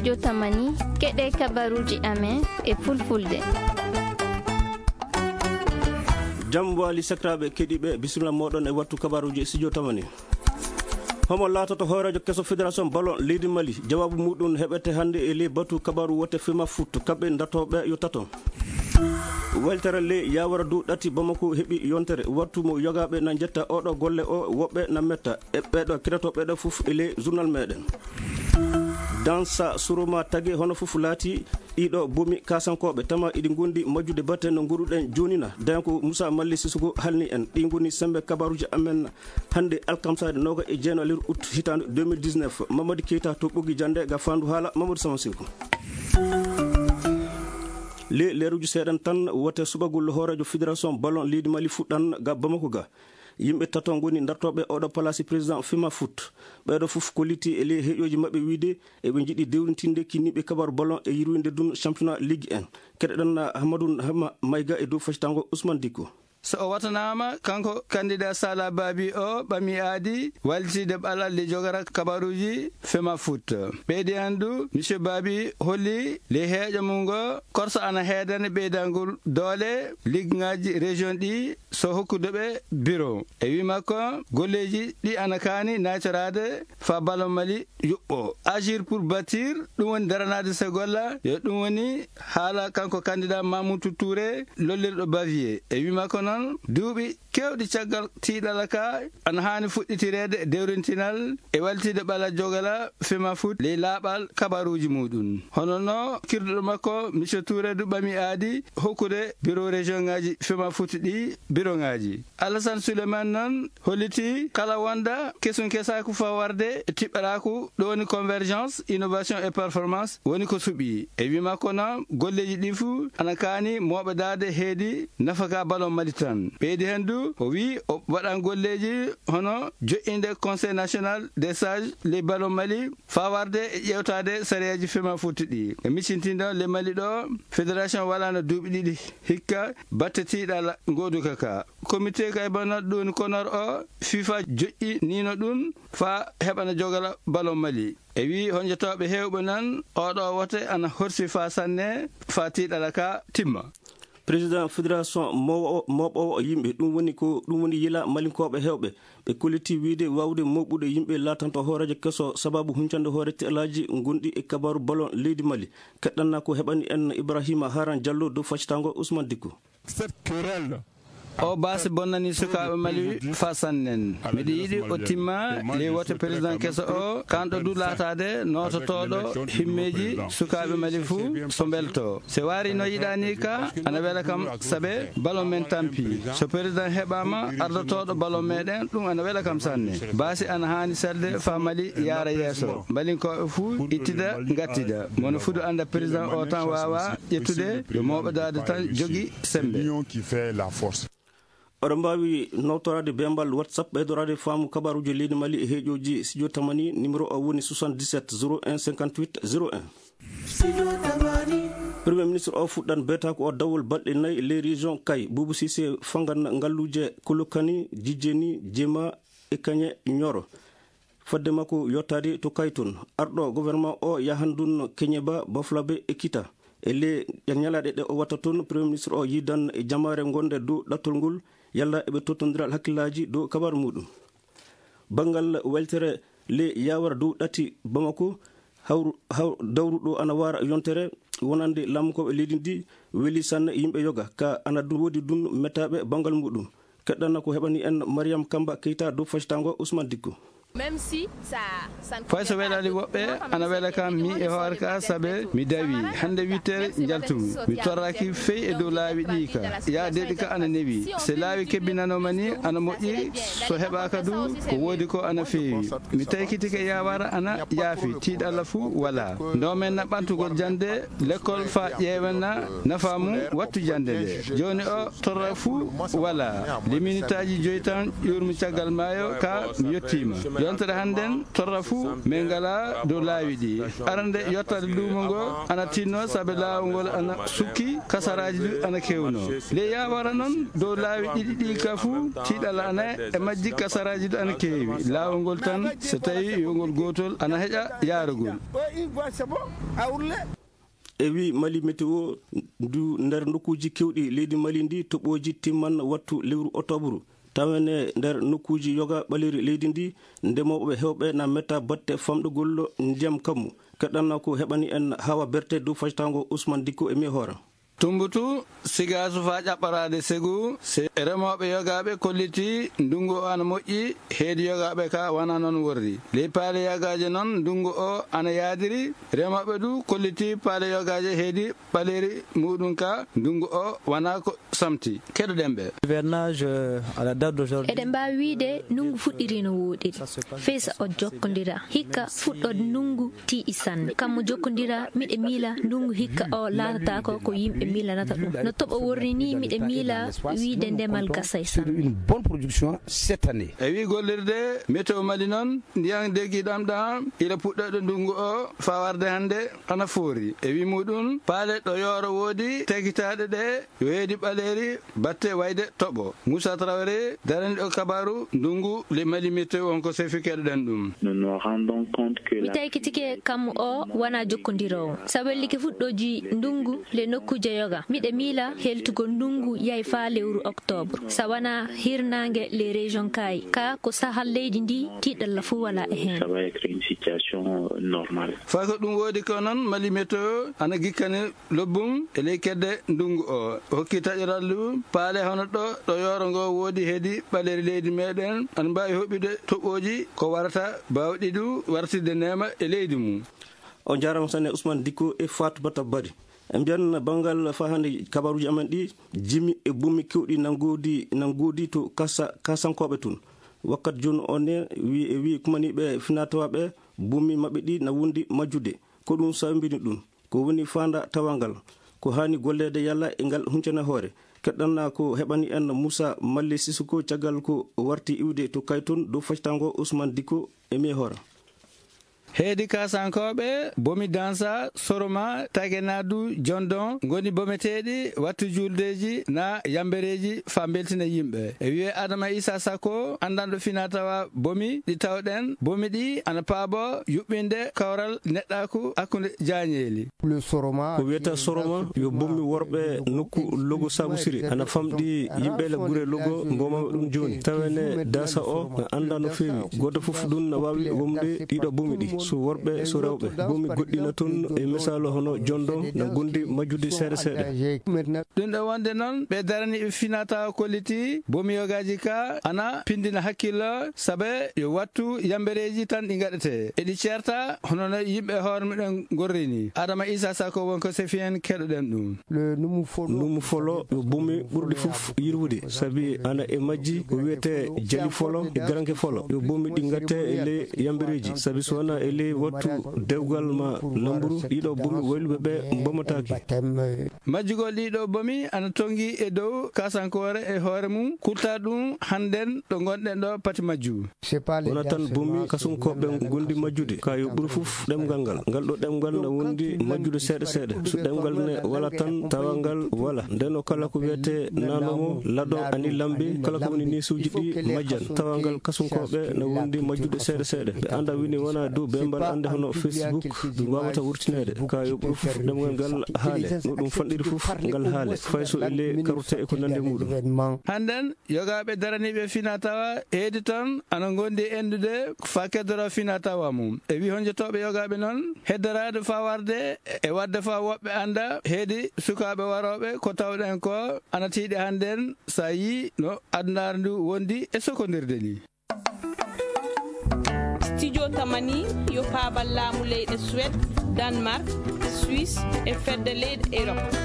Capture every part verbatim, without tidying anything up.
Studio Tamani, keɗe kabaruji amen e fulfulde. Jam wali sakiraɓe keɗiɓe, bisimilla moɗon e wattu kabaruji e Studio Tamani. Homo laatoto hooreejo keso Fédération Ballon leydi Mali? Jawaabu muɗum heɓete hannde e ley batu kabaru wote Fema Foot, kamɓe dartoɓe yo tato. Weltere ley Yawara dow ɗati Bamako heɓi yontere. Wattu mo yogaaɓe na njetta oɗo golle o, woɓɓe na metta. E ɓeɗo keɗoto ɓeɗo fof e ley journal meɗen. Dansa Suroma Tage hono fof laati ɗiɗo bomi kasankoɓe tama iɗi gondi majjude batte no goɗuɗen jonina. Dañko Moussa Malli Sissoko halni en. Ɗi goni sembe kabaruji amen hannde alkamsade noga e jeeno lewru août hitande deux mille dix-neuf. Mamadou Keita to Ɓoggi Jande ga fandu haala Mamadou Sama Seko. Le leruji seeɗan tan wote subagol hooreejo Fédération Ballon leydi Mali fuɗɗan ga Bamako ga. Yimɓe tato ngoni dartoɓe oɗo palasi président Fema Foot. Ɓeɗo fof kolliti e ley heƴoji maɓɓe wiide eɓe jiɗi dewrintinde kinniɓe kabaru ballon e yirwinde dun championnat ligue un. Keɗoɗen Ahmadou Hama Mayga e dow facitango Ousmane Dicko. So o watanama, kanko candidat Sala Babi o ɓami aadi wallitide ɓalal le jogata kabaruji Fema Foot. Ɓeydi andu, Monsieur Babi holli le heeƴo mum ngo korsa ana heedani ɓeydangol doole ligue ngaji région ɗi so hokkude ɓe bureau. E wi makko, golleji ɗi ana kaani naytoraade fa ballon Mali yuɓɓo. Agir pour bâtir, ɗum woni daranaade so golla, yo ɗum woni haala kanko candidat Mamoudou Touré lollirɗo Bavier. E wi makko noon, duuɓi kewɗi caggal tiiɗala ka ana haani fuɗɗitireede dewrintinal e wallitide ɓala jogala Fema Foot ley laaɓal kabaruuji muɗum. Hono no kirduɗo makko, Monsieur Touré du ɓami aadi hokkude bureau région ngaji Fema Foot ɗi bureau ngaji. Alassane Souleymane noon holliti kala wonda kesun kesaku fa warde e tiɓɓaraku ɗo woni convergence, innovation et performance woni ko suɓi. E wi makko noon golleji ɗi fuu ana kaani mooɓedaade heedi nafaka ballon Mali tan. Ɓeydi hen du o wi o waɗan golleji hono joƴƴinde Conseil National des Sages ley ballon Mali fa warde e ƴewtaade sariyaji Fema Foot ɗi. E micintindo le Mali ɗo, fédération walano duuɓi ɗiɗi hikka batte tiiɗala ngoduka ka. Comité kay bana ɗum konor o FIFA joƴƴinino ɗum fa heɓana jogala ballon Mali. E wi honjotooɓe heewɓe nan oɗo wote ana horsi fa sanne fa tiiɗala ka timma. Président fédération mowo-, moɓowo yimɓe, ɗum woni ko, ɗum woni yila malinkooɓe heewɓe. Ɓe kolliti wiide waawde moɓude yimɓe laatanto hooreejo keso sababu huncande hoore teelaaji gonɗi e kabaru ballon leydi Mali. Keɗɗanna ko heɓani en Ibrahima Haran Diallo dow faccitango Ousmane Dicko. Cette querelle O baasi bonnani sukaaɓe Mali fa sannen. Miɗo yiɗi o timma ley wote président keso o, kanɗo du laataade noototooɗo himmeeji sukaaɓe Mali fuu so mbelto. Se waari no yiɗani ka, ana wela kam sabe ballon men tampi. So président heɓaama ardotooɗo ballon meɗen, ɗum ana wela kam sanne. Baasi ana haani selde fa Mali yaara yeeso. Malinkooɓe fuu ittida, ngattida. Mono fudu anda président o tan waawa ƴettude yo mooɓodaade tan jogi sembe. L'union qui fait la force. Oɗon mbaawi nawtoraade bembal WhatsApp, ɓeydoraade faamu kabaruuji leydi Mali e heeƴooji studio Tamani, numéro o woni soixante-dix-sept zéro un cinquante-huit zéro un. Premier ministre o fuɗɗan beetaako o dawol balɗe nayi ley région Kay. Boubou Cissé fangan ngalluuje Kolokani, Jijjeni, Jema e Kañe Ñoro. Fodde makko yottaade to Kay toon, arɗo gouvernement o yahan ɗum Keñeba, Baflabe e Kita. E le ñalaaɗe ɗe o watta toon, Premier ministre o yiidan e jamaare gonde dow ɗattol ngol, yalla eɓe tottondiral hakkillaaji dow kabaru muɗum. Banngal weltere le yawara dow ɗati Bamako, hawru-, haw-, dawruɗo ana wara yontere wonande laamukooɓe leydi ndi, weli sanne yimɓe yoga, ka ana du-, woodi ɗum mettaaɓe banngal muɗum. Keɗɗana ko heɓani en Mariam Kamba Keita dow facitango Ousmane Dicko. Même si ça, ça ne Fay so convient pas à welaali tout le woɓɓe, monde, ana mais wela c'est kam mi e hoore ka, sabe mi dawi. Hannde huit heures njaltumi. Mi torraki fey e dow laawi ɗi ka. Ya deɗi ka ana newi. Se laawi kebbinanoma ni, ana moƴƴi. So heɓaka du, ko woodi ko ana feewi. Mi taykitike yawara ana yaafi, tiiɗalla fuu wala. Ndo men na ɓantugol jande, lekkol fa ƴeewen na nafa mum wattu jande nde. Jooni o torra fuu wala. Liminitaaji joyi tan ƴuurmi caggal maayo ka mi yettiima. Yontere hannden torra fuu min ngalaa dow laawi ɗi. Arande yottaade luumo ngo ana tinnoo sabe laawol ngol ana sukki, kasaraaji du ana keewnoo. Ley yaawara noon dow laawi ɗiɗi ɗi ka fuu tiiɗalla ana e majji, kasaraaji du ana keewi. Laawol ngol tan so tawi yo ngol gootol ana heƴa yaarugol. E wi Mali Météo, ndu nder nokkuuji keewɗi leydi Mali ndi, toɓooji timman wattu lewru oktoobaru. Tawen e nder nokkuuji yoga ɓaleeri leydi ndi, ndemooɓe heewɓe na metta batte famɗugol ndiyam kammu. Keɗɗanna ko heɓani en Hawa Berte dow fajtaango Ousmane Dikko e mi hoora. Tumbutu, Sigaasu faa ƴaɓɓaraade Segu, se remooɓe yogaaɓe kollitii ndunngu o ana moƴƴi, heedi yogaaɓe ka wanaa noon worri. Ley paale yogaaje noon ndunngu o ana yaadiri, remooɓe du kollitii paale yogaaje heedi ɓaleeri muuɗum ka ndunngu o wanaa ko samti. Keɗoɗen ɓe. Hivernage, euh, à la date d'aujourd'hui. Eɗen mbaawi wiyde ndunngu fuɗɗirii no wooɗiri. Fesa o jokkondira. Hikka fuɗɗoode ndunngu tiiɗi sanne. Kammu jokkondira, miɗe miila ndunngu hikka o laatataako ko yimɓe miilanata ɗum. No toɓo worri ni, miɗe miila wiyde ndemal gasay sanne. Une bonne production cette année. E wi gollirde Météo Mali noon, ndiyan deggi ɗam ɗam ila puɗɗoɗo ndunngu o faa warde hannde ana foori. E wi muɗum, paale ɗo yooro woodi tekitaaɗe ɗe yo heedi ɓaleeri batte wayde toɓo. Moussa Traoré, daraniiɗo kabaaru ndunngu le Mali Météo, on ko sefi keɗoɗen ɗum. Nous nous rendons compte que mi la taykitike kammu o wonaa jokkondiroowo. Sa wellike fuɗɗooji ndunngu le nokkuuje yoga, miɗe miila heltugol ndunngu yahi faa lewru oktoobre. Sa wonaa hirnaange les régions kaayi, ka ko sahal leydi ndi, tiiɗalla fuu walaa e heen. Ça va être une situation normale. Faa ko ɗum woodi ko noon, Mali Météo ana gikkani lobbum e ley kedde ndunngu o. Hokki taƴoral ndu paale hono ɗo, ɗo yooro ngo woodi heedi ɓaleeri leydi meɗen, ana mbaawi hoɓɓude toɓɓooji ko warata baawɗi du wartirde neema e leydi mum. On njaaraama sanne Ousmane Dikko e Fatoumata Bari. En mbiyan banngal faa hannde kabaruuji amen ɗi, jimi e bummi keewɗi na ngoodi, na ngoodi to kasa-, kasankooɓe tun. Wakkati jooni o ne, wi-, e wi kumaniiɓe finaa-tawaa ɓe, bummi maɓɓe ɗi na wondi majjude. Ko ɗum sababini ɗum. Ko woni faanda tawaa ngal? Ko haani golleede yalla e ngal huncana hoore? Keɗɗanna ko heɓani en Moussa Malle Sissoko caggal ko warti iwde to Kayton dow fajtaango Ousmane Dikko e mi hoora. Heedi kasankooɓe, bomi Dansa, Soroma, Tagenadu, Jondon, ngoni bometeeɗi wattu juldeeji na yambereeji faa mbeltina yimɓe. E wi'e Adama Isa Sako, anndanɗo finaa-tawaa bomi ɗi tawɗen, bomi ɗi ana paabo yuɓɓinde kawral neɗɗaaku hakkunde jaañeeli. Ko wiyata Soroma yo bomi worɓe nokku Logo Sabusiri, ana famɗi yimɓe le gure Logo mbomama ɗum jooni. Tawene Dasa o na annda no feewi. Gooto fof ɗum na waawi womde ɗiɗo bomi ɗi, so worɓe, so rewɓe. Bomi goɗɗi na toon e misaalu hono Jondon na gondi majjude seeɗa seeɗa. Ɗum ɗo wonde noon, ɓe daraniiɓe finaa-tawaa kolliti bomi yogaaji ka ana pindina hakkillo, sabe yo wattu yambereeji tan ɗi ngaɗetee. Eɗi ceerta hono no yimɓe hoore mumen ngorri ni. Adama Isa Sako won ko sefi en, keɗoɗen ɗum. Numu folo yo bomi ɓurɗi fof yirwude, sabi ana e majji ko wiyetee jali folo e garanke folo. Yo bomi ɗi ngatte e ley yambereeji, sabi so wonaa e ley wattu dewgal ma lamburu, ɗiɗo bomi wayluɓe ɓe mbomataake. Majjugol ɗiɗo bomi ana tongi e dow kasankoore e hoore mum, kulta ɗum hannden ɗo ngonɗen ɗo pati majju. Wona tan bomi kasunkooɓe ngondi majjude, ka yo ɓuri fof ɗemngal ngal. Ngal ɗo ɗemngal na wondi majjude seeɗa seeɗa. So ɗemngal ne wala tan, tawa ngal wala. Nden o kala ko wiyetee nanomo, laɗo, ani lambe, kala ko woni neesuuji ɗi majjan. Tawa ngal kasunkooɓe na wondi majjude seeɗa seeɗa. Ɓe annda wini wona dow bembal annde hono Facebook, ɗum waawata wurtineede. Ka yo ɓuri fof ɗemngal ngal haale. No ɗum fanɗiri fof ngal haale. Fay so e ley karute e ko nandi muɗum. Hannden, yogaaɓe daraniiɓe finaa-tawaa heedi toon ana ngondi e endude faa keddora finaa-tawaa mum. E wi honjotooɓe yogaaɓe noon, heddoraade faa warde e waɗde faa woɓɓe annda heedi sukaaɓe warooɓe ko tawɗen ko ana tiiɗi hannden, so a yii no adunaaru ndu wondi e sokondirde ni. Studio Tamani yo paabal laamu leyɗe Suède, Danemark, Suisse e fedde leyɗe Europe.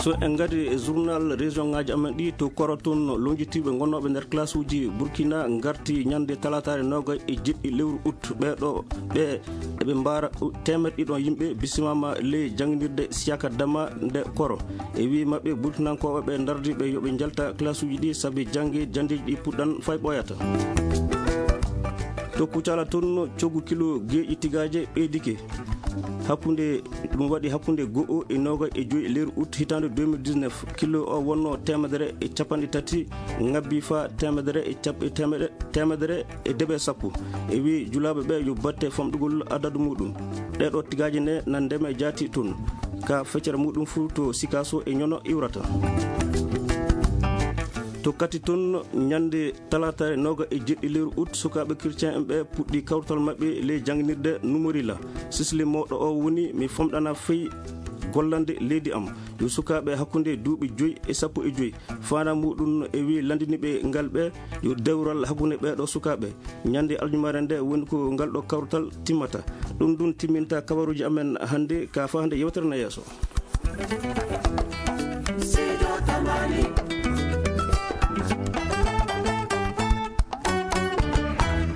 So en ngari e journal région ŋaaji amen ɗi, to Koro toon, lonjitiiɓe gonnooɓe nder classe uji Burkina ngarti ñande talaataare noogay e jeɗɗi lewru août. Ɓeeɗo ɓe eɓe mbaara teemeɗɗe ɗiɗi yimɓe bisimaama ley jannginirde Siyaka Dama nde Koro. E wii maɓɓe, Burkinankooɓe ɓe ndardi ɓe yo ɓe njalta classe uji ɗi, sabi jannge janndeeji ɗi puɗɗan fay ɓooyata. To Kucala toon, coggu kilo geeƴi tigaaje ɓeydike. Hakkunde ɗum waɗi hakkunde go'o e noogayi e joy lewru ut hitaande deux mille dix-neuf, kilo o wonno teemedere e capanɗe tati, ŋabbi faa teemedere e cap- e teemedere, teemedere e deɓe sappo. E wii julaaɓe ɓe yo batte famɗugol adadu muɗum. Ɗeeɗo tigaaje ne na ndeme jaati toon. Ka feccere muɗum fuu to Sikaso e Ñono iwrata. To Kati toon, ñande talaataare noogayi e jeɗɗi lewru ut, sukaaɓe kircen en ɓe puɗɗi kawtal maɓɓe ley jannginirde Numorila. Sisli mawɗo o woni mi famɗana fey gollande leydi am. Yo sukaaɓe hakkunde duuɓi joy e sappo e joy. Faandaare muɗum e wii lanndiniiɓe ngal ɓe yo dewral hakkunde ɓeeɗo sukaaɓe. Ñande aljumaare nde woni ko ngal ɗo kawtal timmata. Ɗum ɗum timminta kabaruuji amen hannde ka faa hannde yewtere na yeeso.